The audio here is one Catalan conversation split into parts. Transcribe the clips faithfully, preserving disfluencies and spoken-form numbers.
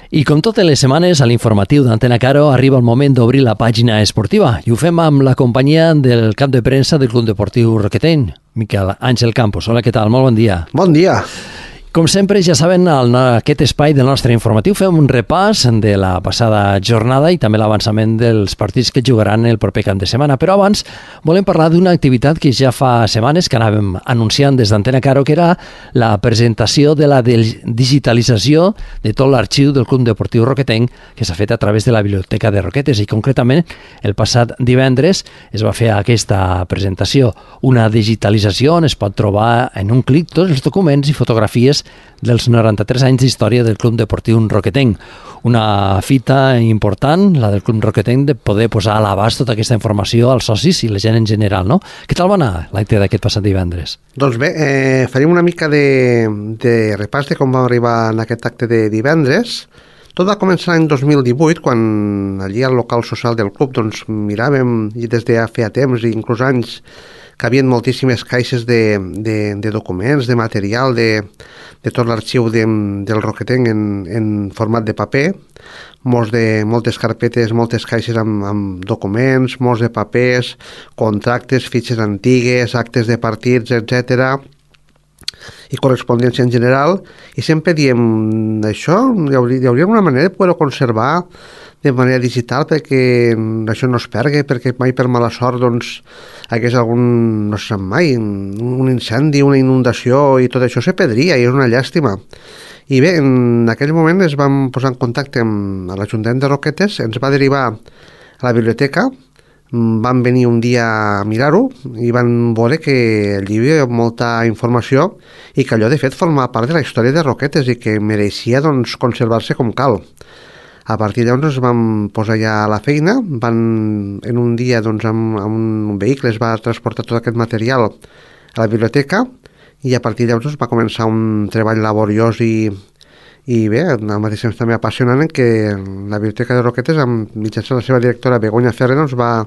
I com totes les setmanes, a l'informatiu d'Antena Caro arriba el moment d'obrir la pàgina esportiva i ho fem amb la companyia del cap de premsa del Club Deportiu Roquetenc, Miquel Àngel Campos. Hola, què tal? Molt bon dia. Bon dia. Com sempre, ja saben, en aquest espai del nostre informatiu fem un repàs de la passada jornada i també l'avançament dels partits que jugaran el proper cap de setmana. Però abans volem parlar d'una activitat que ja fa setmanes que anàvem anunciant des d'Antena Caro, que era la presentació de la digitalització de tot l'arxiu del Club Deportiu Roquetenc que s'ha fet a través de la Biblioteca de Roquetes, i concretament el passat divendres es va fer aquesta presentació, una digitalització on es pot trobar en un clic tots els documents i fotografies dels noranta-tres anys d'història del Club Deportiu Roquetenc. Una fita important, la del Club Roquetenc, de poder posar a l'abast tota aquesta informació als socis i la gent en general, no? Què tal va anar l'acte d'aquest passat divendres? Doncs bé, eh, farem una mica de, de repàs de com vam arribar en aquest acte de divendres. Tot va començar l'any dos mil divuit, quan allí al local social del club doncs, miràvem, i des de ja feia temps i inclús anys, que hi havia moltíssimes caixes de, de, de documents, de material, de, de tot l'arxiu de, del Roquetenc en, en format de paper, molts de, moltes carpetes, moltes caixes amb, amb documents, molts de papers, contractes, fitxes antigues, actes de partits, etcètera, i correspondència en general, i sempre diem això, hi hauria, hi hauria una manera de poder-ho conservar de manera digital perquè això no es pergui, perquè mai per mala sort doncs hagués algun, no sé mai, un incendi, una inundació i tot això se perdria i és una llàstima. I bé, en aquell moment es vam posar en contacte amb l'Ajuntament de Roquetes, ens va derivar a la biblioteca, van venir un dia a mirar-ho i van veure que allí hi havia molta informació i que allò de fet formava part de la història de Roquetes i que mereixia doncs conservar-se com cal. A partir de llavors vam posar ja a la feina, van en un dia doncs, amb, amb un vehicle es va transportar tot aquest material a la biblioteca i a partir de llavors va començar un treball laboriós i, i bé, al mateix temps també apassionant, en què la Biblioteca de Roquetes, amb mitjançant la seva directora Begoña Ferrer, doncs va,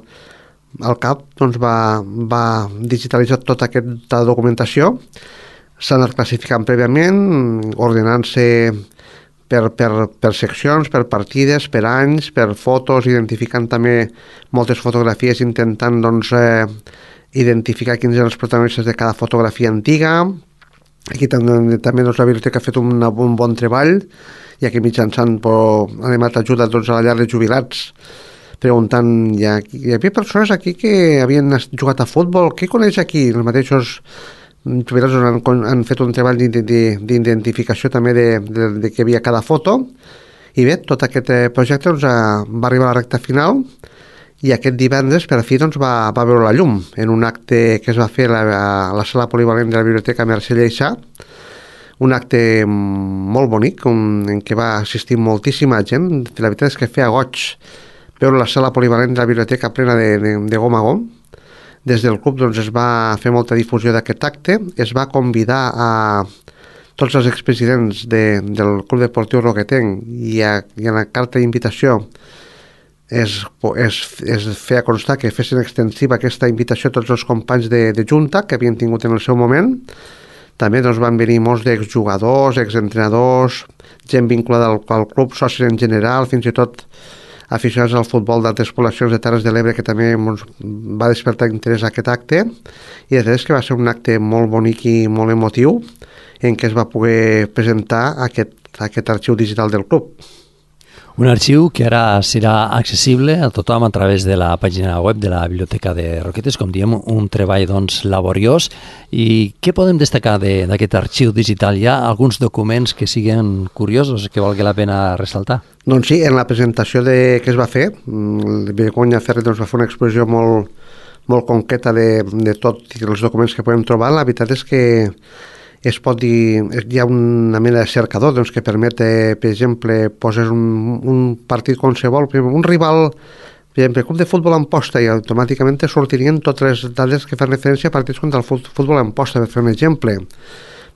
al cap doncs, va, va digitalitzar tota aquesta documentació, s'ha anat classificant prèviament, ordenant-se Per, per, per seccions, per partides, per anys, per fotos, identificant també moltes fotografies, intentant doncs, eh, identificar quins eren els protagonistes de cada fotografia antiga. Aquí també, també doncs, la biblioteca ha fet un, un bon treball, i aquí mitjançant pues, ha demanat ajuda doncs, a la llar de jubilats, preguntant, hi, ha, hi havia persones aquí que havien jugat a futbol, què coneix aquí? Els mateixos jubilats han, han fet un treball d'identificació també de, de, de què hi havia cada foto, i bé, tot aquest projecte doncs, va arribar a la recta final i aquest divendres per fi doncs, va, va veure la llum en un acte que es va fer a la, a la sala polivalent de la Biblioteca Mercè Lleixà, un acte molt bonic un, en què va assistir moltíssima gent. La veritat és que feia goig veure la sala polivalent de la biblioteca plena de, de, de gom a gom. Des del club doncs, es va fer molta difusió d'aquest acte, es va convidar a tots els expresidents de, del Club Deportiu Roquetenc i, a, i a la carta d'invitació es, es, es feia constar que fessin extensiva aquesta invitació a tots els companys de, de Junta que havien tingut en el seu moment. També doncs, van venir molts d'exjugadors, exentrenadors, gent vinculada al, al club, socis en general, fins i tot aficionats al futbol d'altres poblacions de Terres de l'Ebre, que també ens va despertar interès a aquest acte, i de res que va ser un acte molt bonic i molt emotiu en què es va poder presentar aquest, aquest arxiu digital del club. Un arxiu que ara serà accessible a tothom a través de la pàgina web de la Biblioteca de Roquetes, com diem, un treball doncs, laboriós. I què podem destacar d'aquest de, arxiu digital? Hi ha alguns documents que siguin curiosos, que valgui la pena ressaltar? Doncs sí, en la presentació de, que es va fer, Begoña Ferrer doncs, va fer una exposició molt, molt concreta de, de tots els documents que podem trobar. La veritat és que es pot dir, hi ha una mena de cercador doncs, que permet, per exemple, poses un, un partit qualsevol, un rival, per exemple, club de futbol Amposta, i automàticament te sortirien totes les dades que fan referència a partits contra el futbol Amposta, per fer un exemple.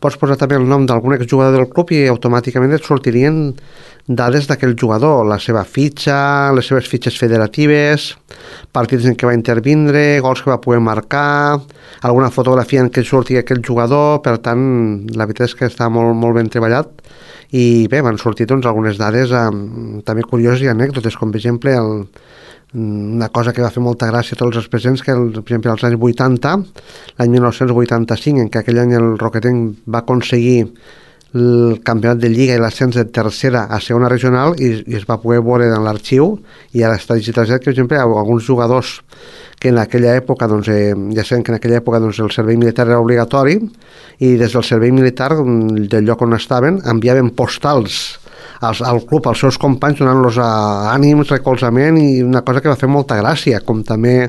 Pots posar també el nom d'algun exjugador del club i automàticament et sortirien dades d'aquell jugador, la seva fitxa, les seves fitxes federatives, partits en què va intervindre, gols que va poder marcar, alguna fotografia en què surti aquell jugador. Per tant, la veritat és que està molt, molt ben treballat i bé, van sortir doncs, algunes dades eh, també curioses i anècdotes, com per exemple el, una cosa que va fer molta gràcia a tots els presents, que el, per exemple als anys vuitanta, l'any dinou vuitanta-cinc, en què aquell any el Roquetenc va aconseguir el campionat de Lliga i l'ascens de tercera a segona regional, i, i es va poder veure en l'arxiu i ara està digitalitzat que, per exemple, alguns jugadors que en aquella època, doncs, eh, ja sabem que en aquella època doncs, el servei militar era obligatori, i des del servei militar del lloc on estaven enviaven postals als, al club, als seus companys, donant-los ànims, recolzament, i una cosa que va fer molta gràcia, com també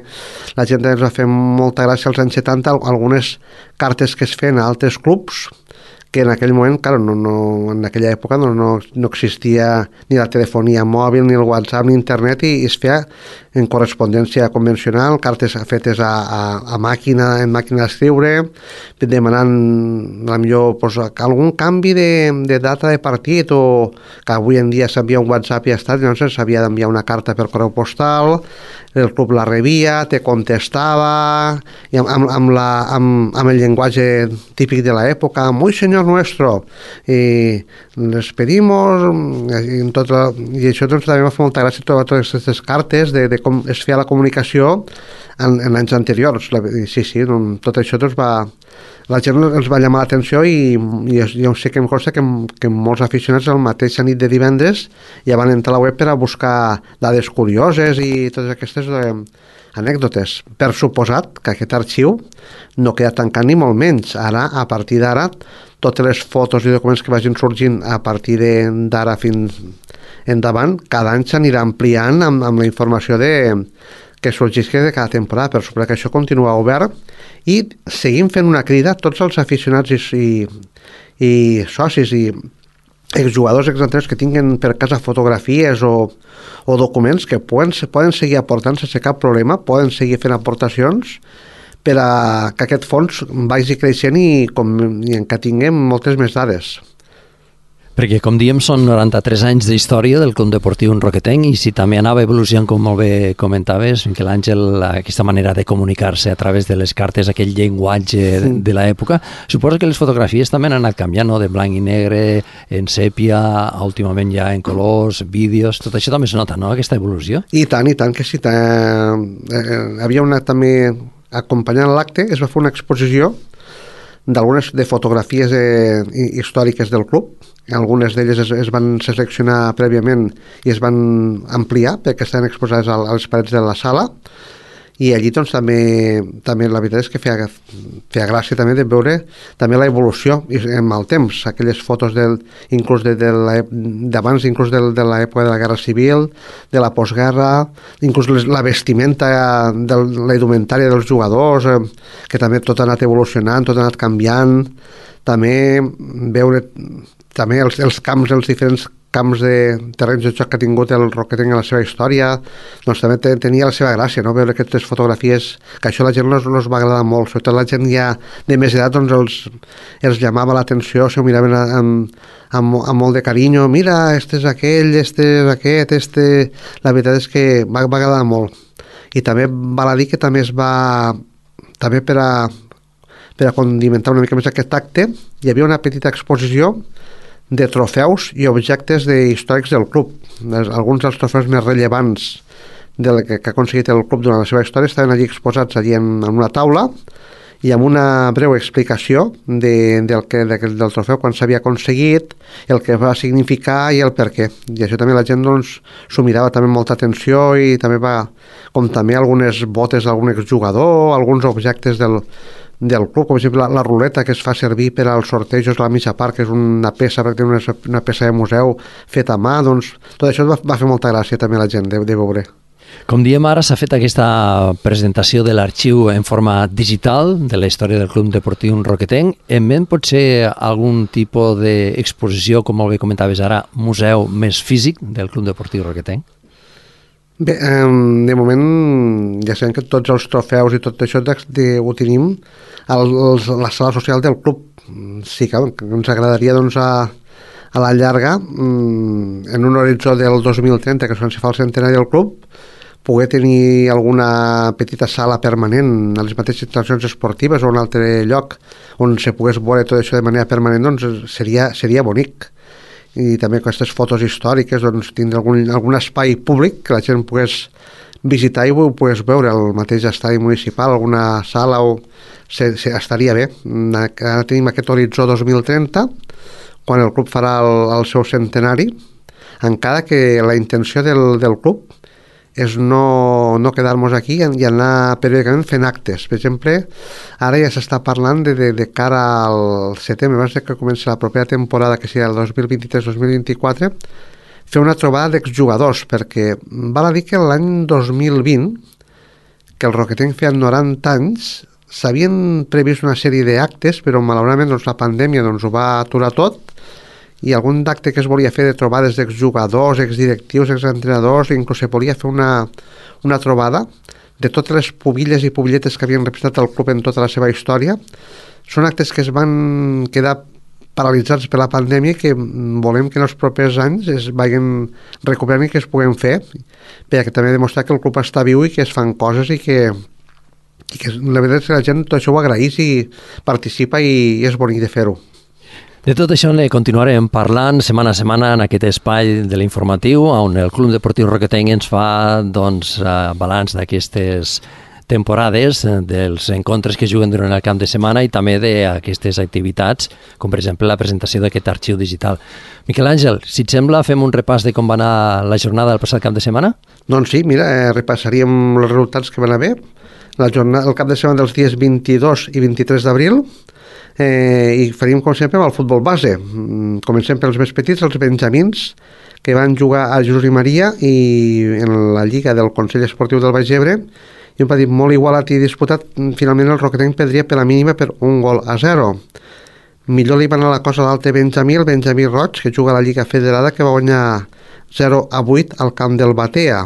la gent ens va fer molta gràcia als anys setanta, algunes cartes que es feien a altres clubs, que en aquell moment, claro, no, no, en aquella època no, no, no existia ni la telefonia mòbil, ni el WhatsApp, ni internet, i, i es feia en correspondència convencional, cartes fetes a, a, a màquina, en màquina d'escriure, demanant a millor pues, algun canvi de, de data de partit, o que avui en dia s'envia un WhatsApp i ja està, llavors s'havia d'enviar una carta per correu postal, el club la rebia, te contestava, i amb, amb, amb, la, amb, amb el llenguatge típic de l'època, muy señor nuestro, i les pedimos, i, tot la, i això doncs, també va fer molta gràcia trobar totes aquestes cartes de, de com es feia la comunicació en, en anys anteriors. La, sí, sí, doncs, tot això doncs, va, la gent els va llamar l'atenció, i, i jo sé que em consta que, que molts aficionats el mateix nit de divendres ja van entrar a la web per a buscar dades curioses i totes aquestes eh, anècdotes. Per suposat que aquest arxiu no queda tancat ni molt menys. Ara, a partir d'ara, totes les fotos i documents que vagin sorgint a partir d'ara fins endavant, cada any s'anirà ampliant amb, amb la informació de, que sorgisca de cada temporada, per suposar que això continua obert, i seguim fent una crida a tots els aficionats i, i, i socis i exjugadors, exentrenadors que tinguin per casa fotografies o, o documents que poden, poden seguir aportant sense cap problema, poden seguir fent aportacions per a que aquest fons vagi creixent i, com, i en que tinguem moltes més dades. Perquè, com diem, són noranta-tres anys d'història del Club Deportiu Roquetenc, i si també anava evolucionant, com molt bé comentaves, que l'Àngel, aquesta manera de comunicar-se a través de les cartes, aquell llenguatge sí. de l'època, suposo que les fotografies també han anat canviant, no? De blanc i negre, en sèpia, últimament ja en colors, vídeos, tot això també es nota, no?, aquesta evolució. I tant, i tant que sí. Tant. Eh, havia una també, acompanyant l'acte, es va fer una exposició d'algunes de fotografies eh, històriques del club. Algunes d'elles es, es van seleccionar prèviament i es van ampliar perquè estaven exposades a, a les parets de la sala, i allí doncs també, també la veritat és que feia, feia gràcia també de veure també la evolució amb el temps, aquelles fotos del, inclús de, de d'abans, inclús de, de l'època de la Guerra Civil, de la postguerra, inclús les, la vestimenta de la indumentària dels jugadors, eh, que també tot ha anat evolucionant, tot ha anat canviant, també veure també els, els camps, els diferents camps de terrenys de joc que ha tingut el Roquetenc en la seva història, doncs també tenia la seva gràcia, no?, veure aquestes fotografies, que això a la gent els, els va agradar molt, sobretot la gent ja de més edat, doncs els, els llamava l'atenció, s'ho miraven amb, amb, amb molt de carinyo, mira, este és aquell, este és aquest, este... La veritat és que va, va agradar molt. I també val a dir que també es va, també per a, per a condimentar una mica més aquest acte, hi havia una petita exposició de trofeus i objectes de històrics del club. Alguns dels trofeus més rellevants del que, que ha aconseguit el club durant la seva història estaven allí exposats allí en, en una taula, i amb una breu explicació de, del, que, de, del trofeu, quan s'havia aconseguit, el que va significar i el per què. I això també la gent doncs, s'ho mirava també amb molta atenció, i també va, com també algunes botes d'algun exjugador, alguns objectes del del club, com per exemple la, la ruleta que es fa servir per als sortejos a la mitja part, que és una peça, perquè una, una peça de museu feta a mà, doncs tot això va, va fer molta gràcia també a la gent de, de veure. Com diem, ara s'ha fet aquesta presentació de l'arxiu en forma digital de la història del Club Deportiu Roquetenc. En ment pot ser algun tipus d'exposició, com molt bé comentaves ara, museu més físic del Club Deportiu Roquetenc? Bé, de moment ja sabem que tots els trofeus i tot això de, ho tenim a la sala social del club. Sí que ens agradaria doncs, a, a la llarga, en un horitzó del dos mil trenta, que és quan s'hi fa el centenari del club, poder tenir alguna petita sala permanent a les mateixes instal·lacions esportives o un altre lloc on se pogués veure tot això de manera permanent, doncs seria, seria bonic. i també aquestes fotos històriques, doncs tindre algun, algun espai públic que la gent pogués visitar i ho pogués veure, el mateix estadi municipal, alguna sala, o se, se, estaria bé. Ara tenim aquest horitzó dos mil trenta, quan el club farà el, el seu centenari, encara que la intenció del, del club és no, no quedar-nos aquí i anar periòdicament fent actes. Per exemple, ara ja s'està parlant de, de, de cara al setembre, abans que comenci la propera temporada, que sigui el dos mil vint-i-tres dos mil vint-i-quatre, fer una trobada d'exjugadors, perquè val a dir que l'any dos mil vint, que el Roquetenc feia noranta anys, s'havien previst una sèrie d'actes, però malauradament doncs, la pandèmia doncs, ho va aturar tot, i algun d'acte que es volia fer de trobades d'exjugadors, exdirectius, exentrenadors, inclús se volia fer una, una trobada de totes les pubilles i pubilletes que havien representat el club en tota la seva història. Són actes que es van quedar paralitzats per la pandèmia i que volem que en els propers anys es vagin recuperant i que es puguem fer, perquè també demostrar que el club està viu i que es fan coses i que, i que la veritat és que la gent tot això ho agraeix i participa i és bonic de fer-ho. De tot això ne continuarem parlant setmana a setmana en aquest espai de l'informatiu on el Club Deportiu Roquetenc ens fa doncs, balanç d'aquestes temporades, dels encontres que juguen durant el camp de setmana i també d'aquestes activitats, com per exemple la presentació d'aquest arxiu digital. Miquel Àngel, si et sembla, fem un repàs de com va anar la jornada del passat cap de setmana? Doncs sí, mira, eh, repassaríem els resultats que van haver. La jornada, el cap de setmana dels dies vint-i-dos i vint-i-tres d'abril, Eh, i faríem com sempre amb el futbol base. Comencem pels més petits, els benjamins, que van jugar a Jesús i Maria i en la Lliga del Consell Esportiu del Baix Ebre, i un partit molt igualat i disputat. Finalment el Roquetenc perdria per la mínima per un gol a zero. Millor li va anar la cosa a l'altre Benjamí, el Benjamí Roig, que juga a la Lliga Federada, que va guanyar zero a vuit al camp del Batea.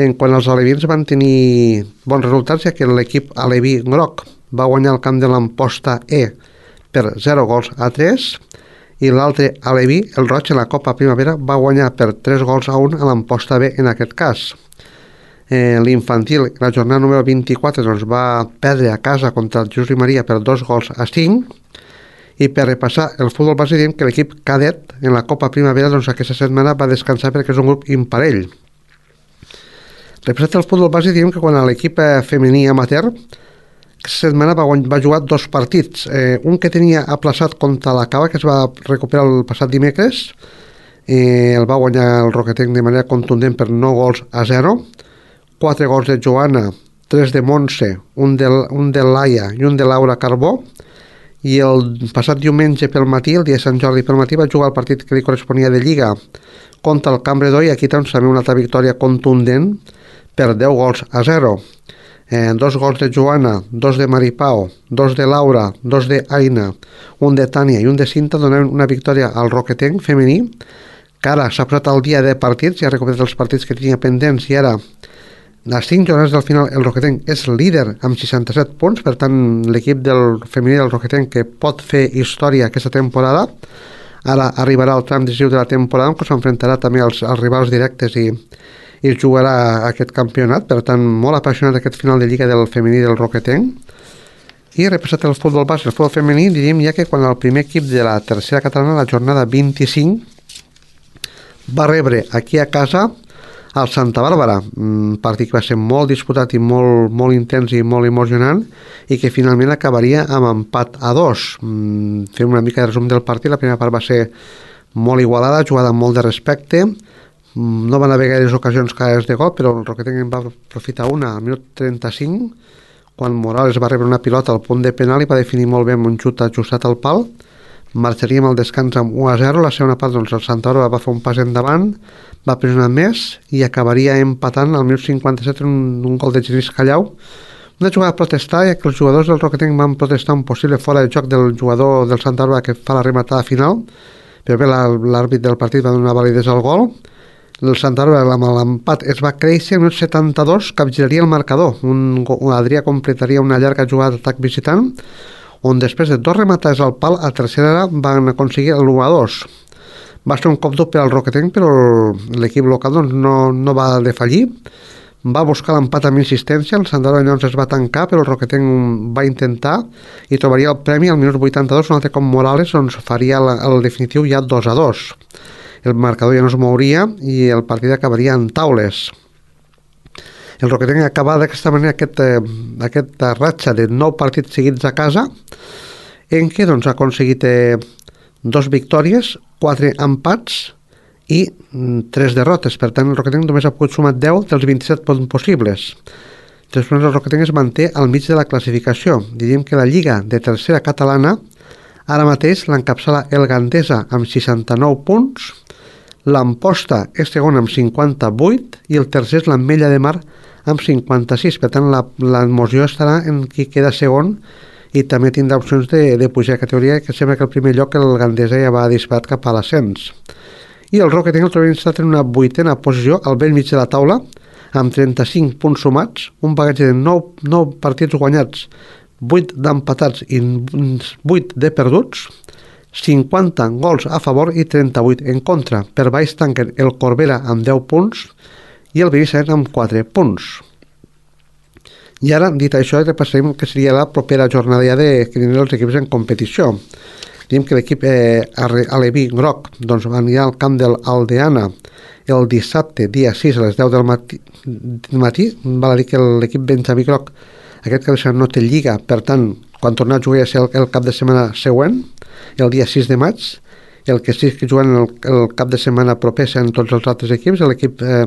En quant als alevins van tenir bons resultats, ja que l'equip aleví groc va guanyar el camp de l'Amposta E per zero gols a tres, i l'altre aleví, el Roig, en la Copa Primavera, va guanyar per tres gols a un a l'Amposta B en aquest cas. Eh, l'infantil, la jornada número vint-i-quatre, doncs, va perdre a casa contra el Jesús i Maria per dos gols a cinc, i per repassar el futbol base diem que l'equip cadet en la Copa Primavera doncs, aquesta setmana va descansar perquè és un grup imparell. Repassat el futbol base diem que quan l'equip femení amateur aquesta setmana va, va jugar dos partits, eh, un que tenia aplaçat contra la Cava, que es va recuperar el passat dimecres, eh, el va guanyar el Roquetenc de manera contundent per nou gols a zero, quatre gols de Joana, tres de Montse, un de, un de Laia i un de Laura Carbó, i el passat diumenge pel matí, el dia de Sant Jordi pel matí, va jugar el partit que li corresponia de Lliga contra el Cambredó, i aquí doncs, també una altra victòria contundent per deu gols a zero. Eh, dos gols de Joana, dos de Maripao, dos de Laura, dos de Aina, un de Tània i un de Cinta donaven una victòria al Roquetenc femení, que ara s'ha posat al dia de partits, ja ha recuperat els partits que tenia pendents, i ara a cinc jornades del final el Roquetenc és líder amb seixanta-set punts, per tant l'equip del femení del Roquetenc que pot fer història aquesta temporada. Ara arribarà el tram decisiu de la temporada, que s'enfrontarà també als, als rivals directes i i jugarà aquest campionat. Per tant, molt apassionat aquest final de Lliga del femení del Roquetenc. I repassat el futbol base, el futbol femení, diríem ja que quan el primer equip de la tercera catalana, la jornada vint-i-cinc, va rebre aquí a casa al Santa Bàrbara, un partit que va ser molt disputat i molt, molt intens i molt emocionant, i que finalment acabaria amb empat a dos. Fem una mica de resum del partit. La primera part va ser molt igualada, jugada amb molt de respecte, no van haver gaires ocasions clares de gol, però el Roquetenc en va aprofitar una al minut trenta-cinc, quan Morales va rebre una pilota al punt de penal i va definir molt bé amb un xut ajustat al pal. Marxaríem al descans amb u a zero. La segona part, doncs, el Santa Bàrbara va fer un pas endavant, va pressionar més i acabaria empatant al minut cinquanta-set un, un gol de Genís Callau. Una jugada a protestar, ja que els jugadors del Roquetenc van protestar un possible fora de joc del jugador del Santa Bàrbara que fa la rematada final, però bé, l'àrbit del partit va donar validesa al gol. El Santa Bàrbara amb l'empat es va créixer, al minut setanta-dos capgiraria el marcador. Un, un Adrià completaria una llarga jugada d'atac visitant, on després de dos rematades al pal, a tercera van aconseguir l'u a dos. Va ser un cop dur per al Roquetenc, però l'equip local doncs, no, no va defallir. va buscar l'empat amb insistència, el Sandaro llavors es va tancar, però el Roquetenc va intentar i trobaria el premi al minut vuitanta-dos, un altre com Morales doncs faria el, el definitiu ja dos a dos. El marcador ja no es mouria i el partit acabaria en taules. El Roquetenc acaba d'aquesta manera aquest, eh, aquesta ratxa de nou partits seguits a casa, en què doncs, ha aconseguit eh, dos victòries, quatre empats i tres derrotes. Per tant, el Roquetenc només ha pogut sumar deu dels vint-i-set punts possibles. Després, el Roquetenc es manté al mig de la classificació. Diríem que la Lliga de tercera catalana ara mateix l'encapçala el Gandesa amb seixanta-nou punts, l'Amposta és segon amb cinquanta-vuit i el tercer és l'Ametlla de Mar amb cinquanta-sis. Per tant, la, la moció estarà en qui queda segon i també tindrà opcions de, de pujar a categoria, que sembla que el primer lloc el Gandesa ja va disparat cap a l'ascens. I el Roquetenc el trobem instal·lat en una vuitena posició al vell mig de la taula amb trenta-cinc punts sumats, un bagatge de nou, nou partits guanyats, vuit d'empatats i vuit de perduts, cinquanta gols a favor i trenta-vuit en contra. Per baix tanquen el Corbera amb deu punts i el Binissalem amb quatre punts. I ara, dit això, repassarem que seria la propera jornada ja de que tindran els equips en competició. Diem que l'equip eh, aleví groc doncs, anirà al camp del Aldeana el dissabte, dia sis, a les deu del matí. matí. Val a dir que l'equip benjamí groc aquest cap de setmana no té lliga, per tant, quan tornar a jugar ja serà el, el cap de setmana següent, el dia sis de maig. El que sí que juguen el, el cap de setmana proper seran tots els altres equips. L'equip eh,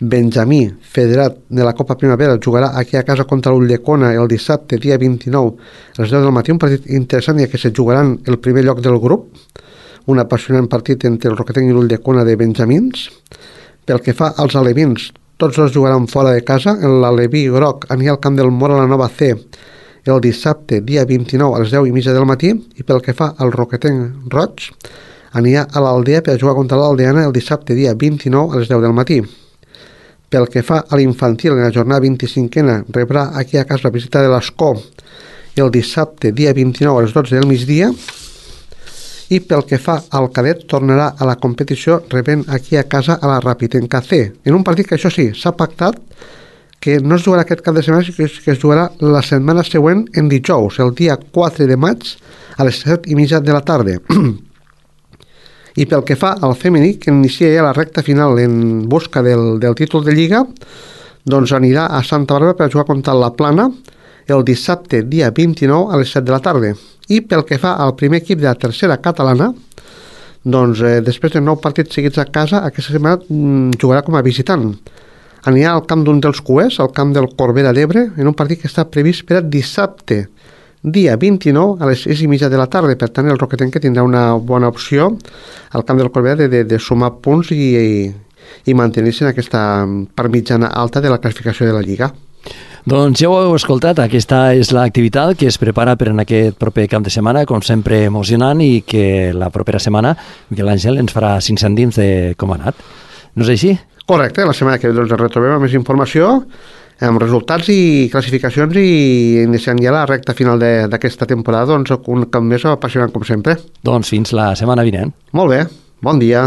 benjamí federat de la Copa Primavera jugarà aquí a casa contra l'Ulldecona el dissabte, dia vint-i-nou, a les deu del matí, un partit interessant, ja que se jugaran el primer lloc del grup, un apassionant partit entre el Roquetenc i l'Ulldecona de benjamins. Pel que fa als alevins, tots els jugaran fora de casa. L'aleví groc anirà al camp del Mora la Nova C el dissabte, dia vint-i-nou, a les deu i mitja del matí, i pel que fa al Roquetenc roig, anirà a l'Aldea per jugar contra l'Aldeana el dissabte, dia vint-i-nou, a les deu del matí. Pel que fa a l'infantil, en la jornada vint-i-cinquena rebrà aquí a casa la visita de l'Escó el dissabte, dia vint-i-nou, a les dotze del migdia, i pel que fa al cadet tornarà a la competició rebent aquí a casa a la Rapitenca C, en un partit que això sí, s'ha pactat que no es jugarà aquest cap de setmana, sinó que es jugarà la setmana següent en dijous, el dia quatre de maig a les set i mitja de la tarda. I pel que fa al femení, que inicia ja la recta final en busca del, del títol de Lliga, doncs anirà a Santa Bàrbara per jugar contra la Plana el dissabte, dia vint-i-nou, a les set de la tarda. I pel que fa al primer equip de la tercera catalana, doncs eh, després de nou partits seguits a casa, aquesta setmana mm, jugarà com a visitant. Anirà al camp d'un dels cuers, al camp del Corbera d'Ebre, en un partit que està previst per a dissabte, dia vint-i-nou, a les sis i mitja de la tarda. Per tant, el Roquetenc que tindrà una bona opció al camp del Corbera de, de, de sumar punts i, i, i mantenir-se en aquesta part mitjana alta de la classificació de la Lliga. Doncs ja ho heu escoltat, aquesta és l'activitat que es prepara per en aquest proper cap de setmana, com sempre emocionant, i que la propera setmana Miquel Àngel ens farà cinc cèntims de com ha anat. No és així? Correcte, la setmana que ve doncs, retrobem amb més informació, amb resultats i classificacions, i iniciant ja la recta final d'aquesta temporada, doncs un cap més apassionant com sempre. Doncs fins la setmana vinent. Molt bé, bon dia.